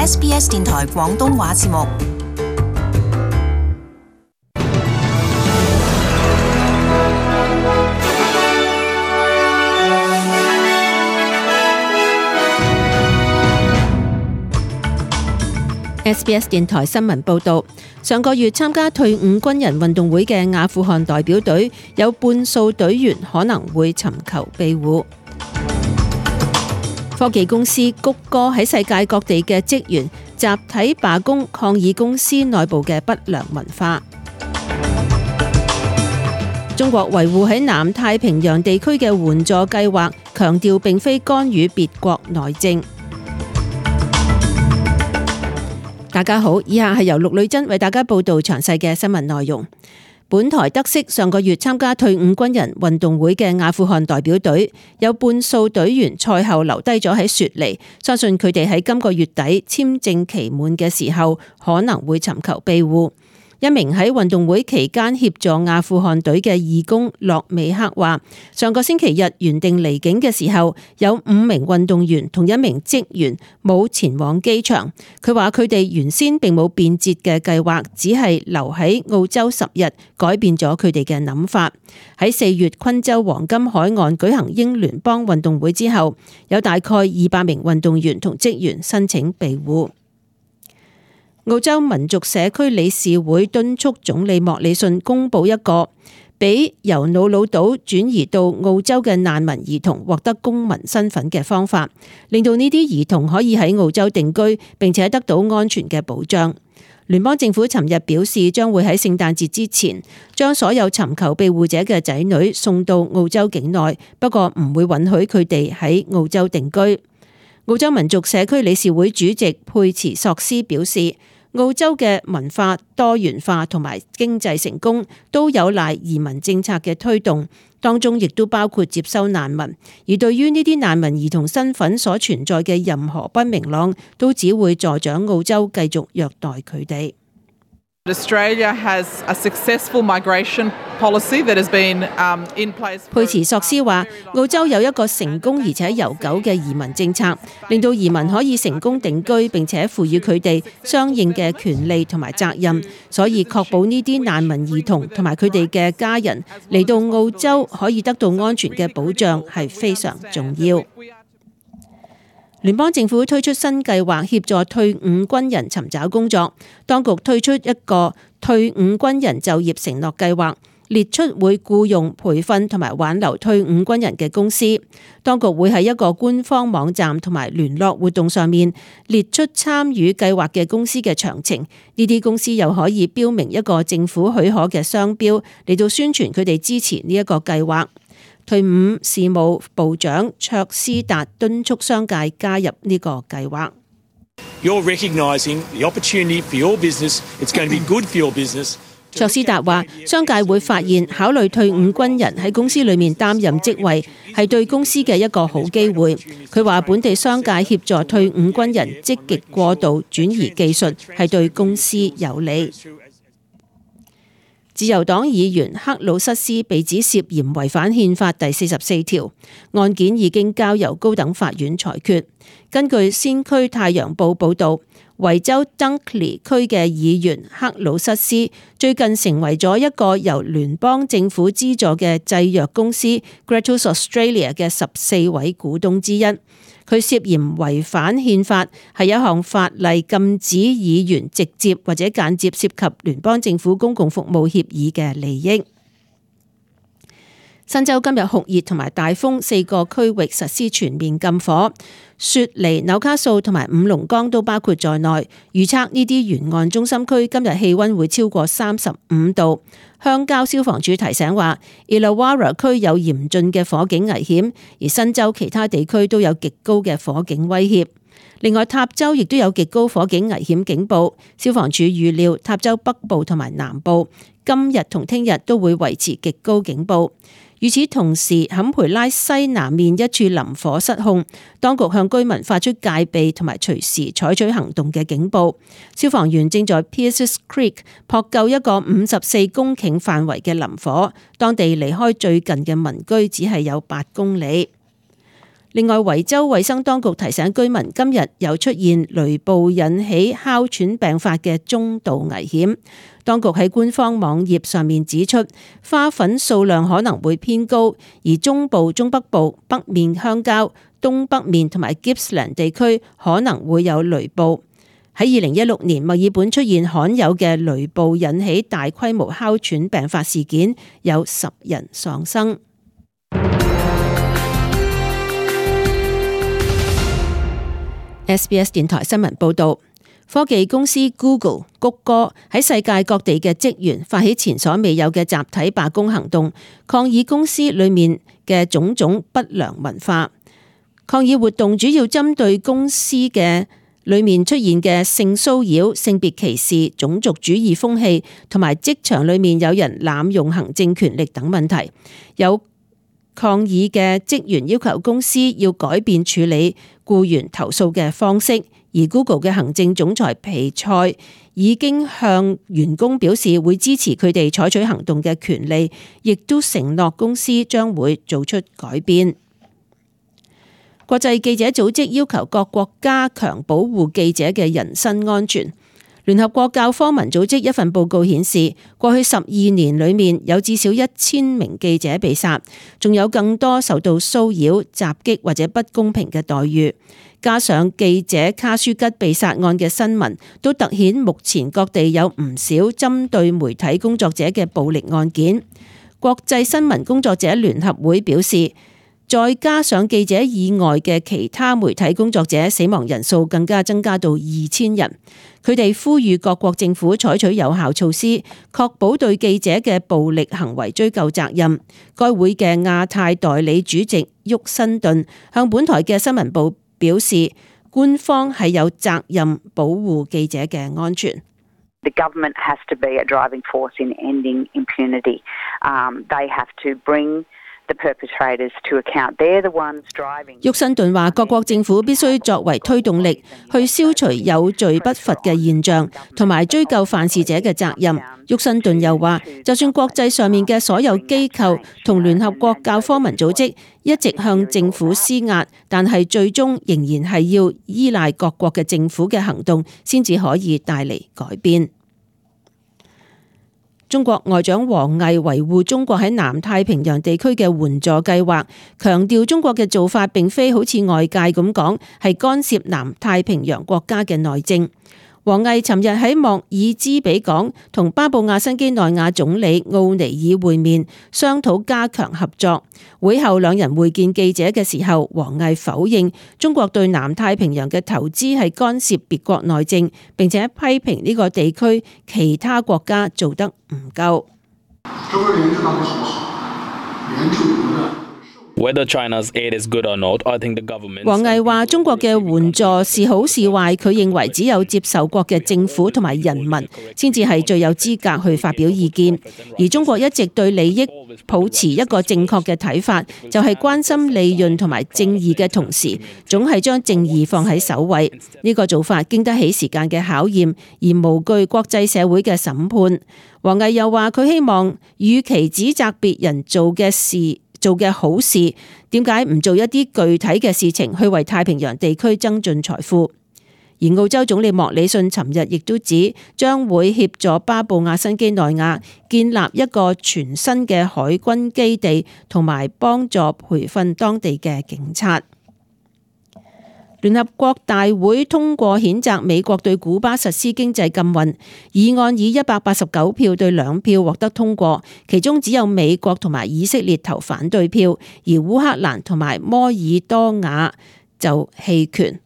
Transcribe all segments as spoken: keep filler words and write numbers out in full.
S B S 電台廣東話節目。S B S 電台新聞報道，上個月參加退伍軍人運動會嘅阿富汗代表隊有半數隊員可能會尋求庇護。科技公司谷歌喺世界各地嘅職員集體罷工，抗議公司內部嘅不良文化。中國維護喺南太平洋地區嘅援助計劃，強調並非干預別國內政。大家好，以下係由陸女珍為大家報道詳細嘅新聞內容。本台得悉，上個月參加退伍軍人運動會嘅阿富汗代表隊有半數隊員賽後留低咗喺雪梨，相信佢哋喺今個月底簽證期滿嘅時候可能會尋求庇護。一名喺運動會期間協助阿富汗隊嘅義工洛美克話，上個星期日原定離境嘅時候，有五名運動員同一名職員冇前往機場。佢話佢哋原先並冇變節嘅計劃，只係留喺澳洲十日，改變咗佢哋嘅諗法。喺四月昆州黃金海岸舉行英聯邦運動會之後，有大概二百名運動員同職員申請庇護。澳洲民族社區理事會敦促總理莫里遜公布一個俾由瑙魯島轉移到澳洲嘅難民兒童獲得公民身份嘅方法，令到呢啲兒童可以喺澳洲定居，並且得到安全嘅保障。聯邦政府尋日表示，將會喺聖誕節之前將所有尋求庇護者嘅仔女送到澳洲境內，不過唔會允許佢哋喺澳洲定居。澳洲民族社區理事會主席佩茨索斯表示，澳洲嘅文化多元化同埋經濟成功都有賴移民政策嘅推動，當中亦都包括接收難民。而對於呢啲難民兒童身份所存在嘅任何不明朗，都只會助長澳洲繼續虐待佢哋。Australia has a successful migration policy that has been um, in place. 佩茨索斯話，澳洲有一個成功而且悠久嘅移民政策，令到移民可以成功定居，並且賦予佢哋相應嘅權利同埋責任，所以確保呢啲難民兒童同埋佢哋嘅家人嚟到澳洲可以得到安全嘅保障係非常重要。聯邦政府推出新計劃協助退伍軍人尋找工作，當局推出一個退伍軍人就業承諾計劃，列出會僱用、培訓同埋挽留退伍軍人嘅公司。當局會喺一個官方網站同埋聯絡活動上面列出參與計劃嘅公司嘅詳情。呢啲公司又可以標明一個政府許可嘅商標嚟到宣傳佢哋支持呢一個計劃。退伍事務部長卓斯達敦促商界加入呢個計劃。You're recognizing the opportunity for your business. It's going to be good for your business. 卓斯達話，商界會發現考慮退伍軍人喺公司裏面擔任職位係對公司嘅一個好機會。佢話本地商界協助退伍軍人積極過渡轉移技術係對公司有利。自由黨議員克魯塞斯被指涉嫌違反憲法第四十四條，案件已經交由高等法院裁決。根據先驅太陽報報導，維州 Dunkley 區嘅議員克魯塞斯最近成為咗一個由聯邦政府資助嘅製藥公司 Gratus Australia 嘅十四位股東之一。佢涉嫌違反憲法，係一項法例禁止議員直接或者間接涉及聯邦政府公共服務協議嘅利益。新州今日酷熱同埋大風，四個區域實施全面禁火。雪梨、紐卡素同埋五龍崗都包括在內。預測呢啲沿岸中心區今日氣溫會超過三十五度。鄉郊消防處提醒話 Illawarra 區有嚴峻嘅火警危險，而新州其他地區都有極高嘅火警威脅。另外，塔州亦都有極高火警危險警報。消防處預料塔州北部同埋南部今日同聽日都會維持極高警報。與此同時，坎培拉西南面一處林火失控，當局向居民發出戒備同埋隨時採取行動嘅警報。消防員正在 Pierces Creek 撲救一個五十四公頃範圍嘅林火，當地離開最近嘅民居只係有八公里。另外，維州衛生當局提醒居民，今日有出現雷暴引起哮喘病發嘅中度危險。當局喺官方網頁上面指出，花粉數量可能會偏高，而中部、中北部、北面鄉郊、東北面同埋 Gippsland 地區可能會有雷暴。喺二零一六年，墨爾本出現罕有嘅雷暴引起大規模哮喘病發事件，有十人喪生。S B S 電台新聞報道，科技公司 Google 谷歌喺世界各地嘅職員發起前所未有嘅集體罷工行動，抗議公司裏面嘅種種不良文化。抗議活動主要針對公司嘅裏面出現嘅性騷擾、性別歧視、種族主義風氣，同埋職場裏面有人濫用行政權力等問題。有抗議嘅職員要求公司要改變處理僱員投訴嘅方式，而 Google 嘅行政總裁皮塞已經向員工表示會支持佢哋採取行動嘅權利，亦都承諾公司將會做出改變。國際記者組織要求各國加強保護記者嘅人身安全。聯合國教科文組織一份報告顯示，過去十二年裏面有至少一千名記者被殺，仲有更多受到騷擾、襲擊或者不公平嘅待遇。加上記者卡舒吉被殺案嘅新聞，都突顯目前各地有唔少針對媒體工作者嘅暴力案件。國際新聞工作者聯合會表示，再加上記者以外嘅其他媒體工作者死亡人數更加增加到二千人。佢哋呼籲各國政府採取有效措施，確保對記者嘅暴力行為追究責任。該會嘅亞太代理主席沃辛頓向本台嘅新聞部表示，官方係有責任保護記者嘅安全。The government has to be a driving force in ending impunity. Um, they have to bring the perpetrators to account. They're the ones driving. 沃辛頓話，各國政府必須作為推動力，去消除有罪不罰嘅現象，同埋追究犯事者嘅責任。沃辛頓又話，就算國際上面嘅所有機構同聯合國教科文組織一直向政府施壓，但係最終仍然係要依賴各國嘅政府嘅行動，先至可以帶嚟改變。中國外長王毅維護中國喺南太平洋地區嘅援助計劃，強調中國嘅做法並非好似外界咁講，係干涉南太平洋國家嘅內政。王毅尋日喺莫爾茲比港同巴布亞新畿內亞總理奧尼爾會面，商討加強合作。會後兩人會見記者嘅時候，王毅否認中國對南太平洋嘅投資係干涉別國內政，並且批評呢個地區其他國家做得唔夠。Whether China's aid is good or not, I think the government. 王毅話：中國嘅援助是好是壞，佢認為只有接受國嘅政府同埋人民先至係最有資格去發表意見。而中國一直對利益抱持一個正確嘅睇法，就係關心利潤同埋正義嘅同時，總係將正義放喺首位。呢個做法經得起時間嘅考驗，而無懼國際社會嘅審判。王毅又話：佢希望與其指責別人做嘅事，做嘅好事，點解唔做一啲具體嘅事情去為太平洋地區增進財富？而澳洲總理莫里遜尋日亦都指，將會協助巴布亞新畿內亞建立一個全新嘅海軍基地，同埋幫助培訓當地嘅警察。聯合國大會通過譴責美國對古巴實施經濟禁運議案，以一百八十九票對兩票獲得通過，其中只有美國同埋以色列投反對票，而烏克蘭同埋摩爾多瓦就棄權。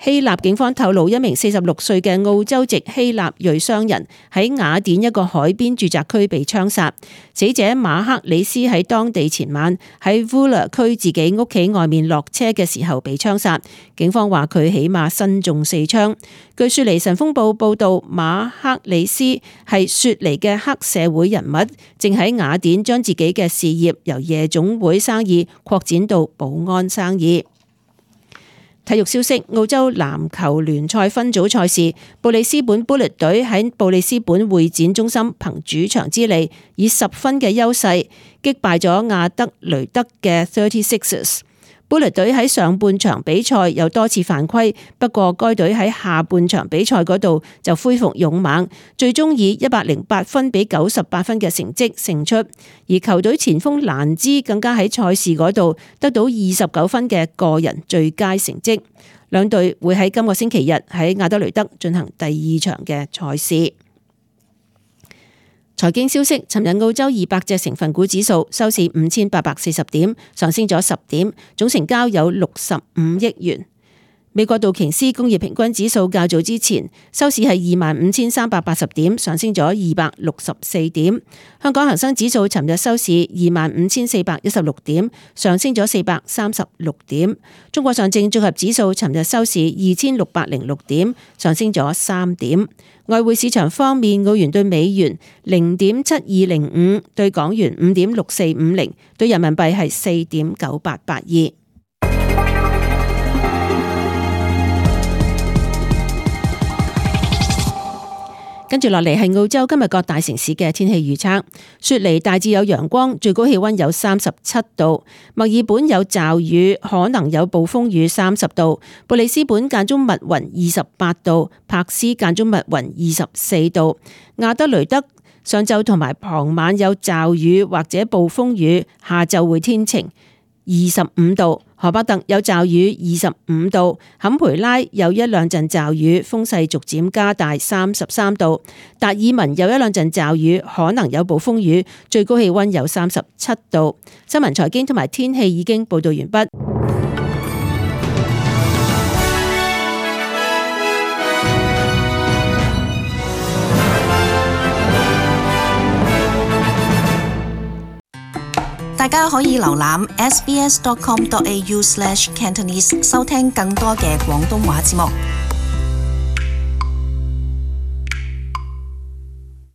希臘警方透露，一名四十六歲嘅澳洲籍希臘裔商人喺雅典一個海邊住宅區被槍殺。死者馬克里斯喺當地前晚喺 Vula 區自己屋企外面落車嘅時候被槍殺。警方話佢起碼身中四槍。據雪梨晨鋒報報道，馬克里斯係雪梨嘅黑社會人物，正喺雅典將自己嘅事業由夜總會生意擴展到保安生意。體育消息：澳洲籃球聯賽分組賽事，布里斯本 Bullet 隊喺布里斯本會展中心憑主場之利，以十分嘅優勢擊敗咗亞德雷德嘅 thirty-sixers。Bullet 隊喺上半場比賽有多次犯規，不過該隊喺下半場比賽嗰度就恢復勇猛，最終以一百零八分比九十八分嘅成績勝出。而球隊前鋒蘭茲更加喺賽事嗰度得到二十九分嘅個人最佳成績。兩隊會喺今個星期日喺亞德雷德進行第二場嘅賽事。財經消息，尋日澳洲二百隻成分股指數收市五千八百四十點，上升咗十點，總成交有六十五億元。美國道瓊斯工業平均指數較早之前收市係二萬五千三百八十點，上升咗二百六十四點。香港恒生指數尋日收市二萬五千四百一十六點，上升咗四百三十六點。中國上證綜合指數尋日收市二千六百零六點，上升咗三點。外匯市場方面，澳元對美元零點七二零五，對港元五點六四五零，對人民幣係四點九八八二。跟住落嚟係澳洲今日各大城市嘅天氣預測。雪梨大致有陽光，最高氣溫有三十七度；墨爾本有驟雨，可能有暴風雨，三十度；布里斯本間中密雲，二十八度；柏斯間中密雲，二十四度；亞德雷德上晝同埋傍晚有驟雨或者暴風雨，下晝會天晴，二十五度；荷伯特有驟雨，二十五度；坎培拉有一兩陣驟雨，風勢逐漸加大，三十三度；達爾文有一兩陣驟雨，可能有暴風雨，最高氣溫有三十七度。新聞財經同埋天氣已經報道完畢。大家可以瀏覽 s b s dot com dot a u slash cantonese 收聽更多嘅廣東話節目。